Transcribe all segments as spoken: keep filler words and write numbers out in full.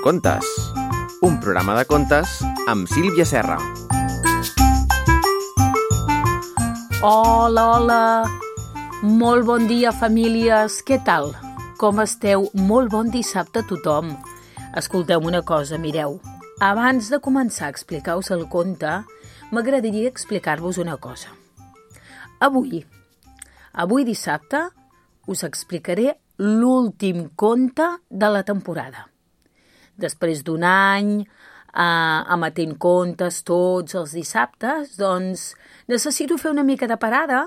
Microcontes, un programa de contes amb Sílvia Serra. Hola, hola! Molt bon dia, famílies! Què tal? Com esteu? Molt bon dissabte a tothom! Escolteu una cosa, mireu. Abans de començar a explicar-vos el conte, m'agradaria explicar-vos una cosa. Avui, avui dissabte, us explicaré l'últim conte de la temporada. Després d'un any eh, emetent contes tots els dissabtes, doncs necessito fer una mica de parada,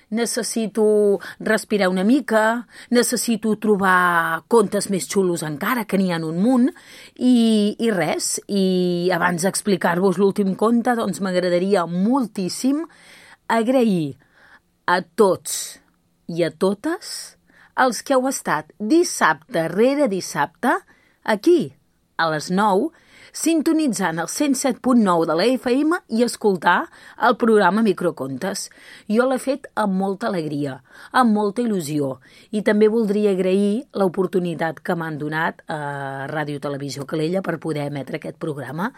necessito respirar una mica, necessito trobar contes més xulos encara, que n'hi ha un munt, i, i res. I abans d'explicar-vos l'últim conte, doncs m'agradaria moltíssim agrair a tots i a totes els que heu estat dissabte rere dissabte aquí, a les nou, sintonitzant el cent set punt nou de la F M i escoltar el programa Microcontes. Jo l'he fet amb molta alegria, amb molta il·lusió, i també voldria agrair l'oportunitat que m'han donat a Ràdio Televisió Calella per poder emetre aquest programa.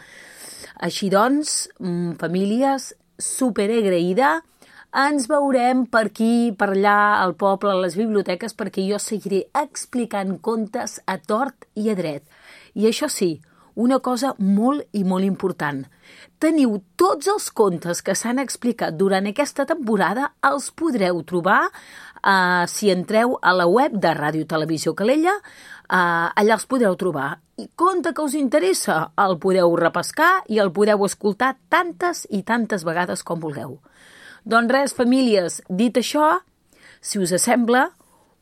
Així doncs, famílies, superagraïda. Ens veurem per aquí, per allà, al poble, a les biblioteques, perquè jo seguiré explicant contes a tort i a dret. I això sí, una cosa molt i molt important. Teniu tots els contes que s'han explicat durant aquesta temporada, els podreu trobar eh, si entreu a la web de Ràdio Televisió Calella, eh, allà els podreu trobar. I conte que us interessa, el podeu repescar i el podeu escoltar tantes i tantes vegades com vulgueu. Doncs res, famílies, dit això, si us sembla,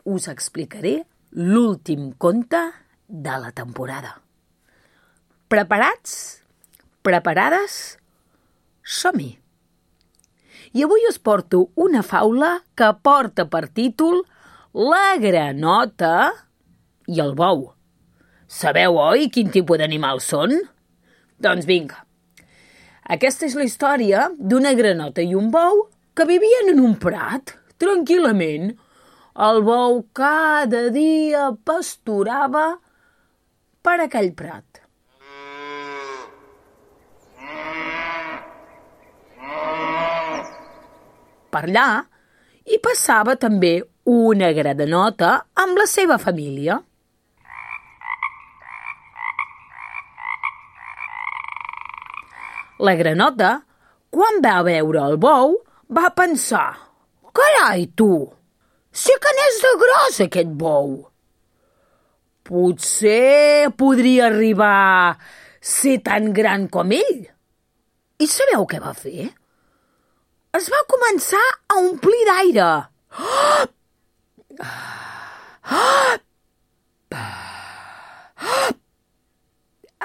us explicaré l'últim conte de la temporada. Preparats? Preparades? Som-hi! I avui us porto una faula que porta per títol La granota i el bou. Sabeu, oi, quin tipus d'animals són? Doncs vinga. Aquesta és la història d'una granota i un bou que vivien en un prat, tranquil·lament. El bou cada dia pasturava per aquell prat. Per allà hi passava també una granota amb la seva família. La granota, quan va veure el bou, va pensar: «Carai, tu! Sí que n'és de gros, aquest bou! Potser podria arribar a ser tan gran com ell». I sabeu què va fer? Es va començar a omplir d'aire.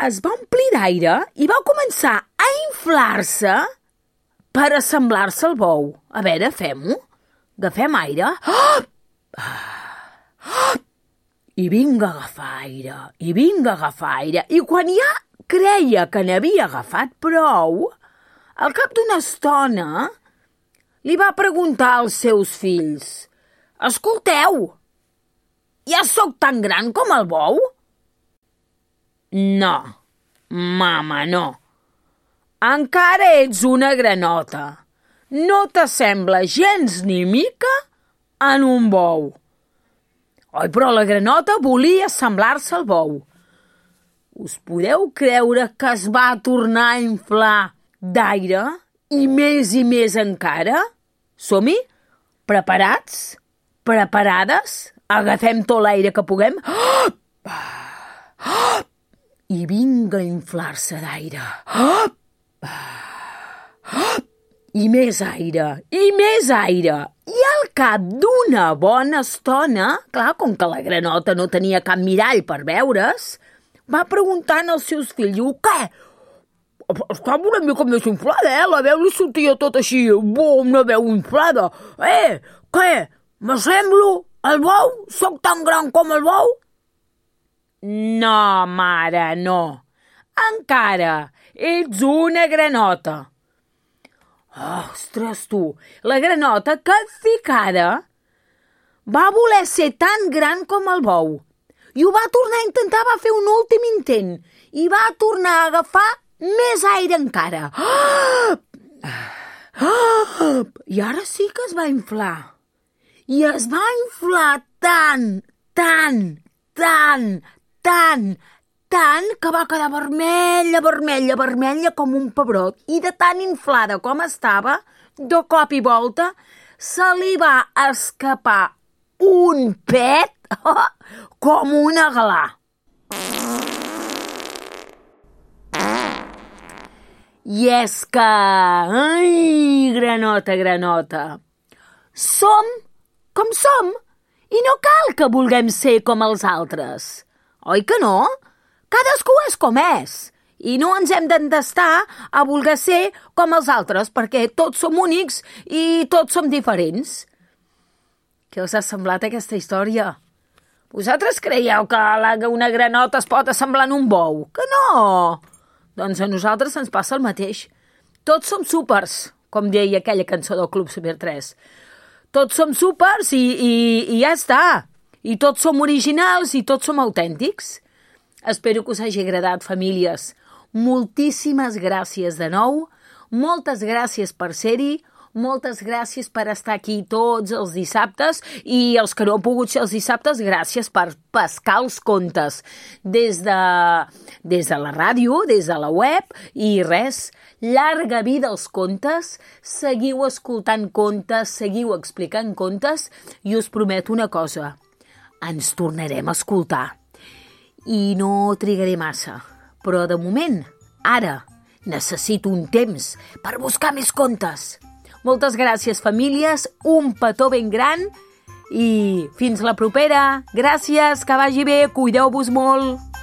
Es va omplir d'aire i va començar a inflar-se per assemblar-se al bou. A veure, fem-ho. Agafem aire. I vinga a agafar aire, i vinga a agafar aire. I quan ja creia que n'havia agafat prou, al cap d'una estona li va preguntar als seus fills: «Escolteu, ja sóc tan gran com el bou?» «No, mama, no. Encara ets una granota. No t'assembla gens ni mica en un bou». Oi, però la granota volia assemblar-se al bou. Us podeu creure que es va tornar a inflar d'aire i més i més encara? Som-hi? Preparats? Preparades? Agafem tot l'aire que puguem? I vinga a inflar-se d'aire. I més aire, i més aire. I al cap d'una bona estona, clar, com que la granota no tenia cap mirall per veure's, va preguntant als seus fills: diu, «Què? Estava una mica més inflada, eh? La veu li sortia tot així, bom, una veu inflada. Eh, què? M'assemblo al bou? Soc tan gran com el bou?» «No, mare, no. Encara ets una granota». Ostres, tu, la granota, capficada, va voler ser tan gran com el bou i ho va tornar a intentar, va fer un últim intent i va tornar a agafar més aire encara. I ara sí que es va inflar. I es va inflar tant, tant, tant, tant, tant que va quedar vermella, vermella, vermella com un pebrot. I de tan inflada com estava, de cop i volta, se li va escapar un pet oh, com una galà. I és que... Ai, granota, granota. Som com som i no cal que vulguem ser com els altres. Oi que no? Cadascú és com és. I no ens hem d'entestar a voler ser com els altres, perquè tots som únics i tots som diferents. Què us ha semblat aquesta història? Vosaltres creieu que una granota es pot assemblar en un bou? Que no! Doncs a nosaltres ens passa el mateix. Tots som súpers, com deia aquella cançó del Club Super tres. Tots som súpers i, i, i ja està. I tots som originals i tots som autèntics. Espero que us hagi agradat, famílies. Moltíssimes gràcies de nou. Moltes gràcies per ser-hi. Moltes gràcies per estar aquí tots els dissabtes i els que no han pogut ser els dissabtes, gràcies per pescar els contes des de, des de la ràdio, des de la web i res, llarga vida als contes, seguiu escoltant contes, seguiu explicant contes i us prometo una cosa, ens tornarem a escoltar i no trigaré massa, però de moment, ara, necessito un temps per buscar més contes. Moltes gràcies, famílies, un petó ben gran i fins la propera. Gràcies, que vagi bé, cuideu-vos molt.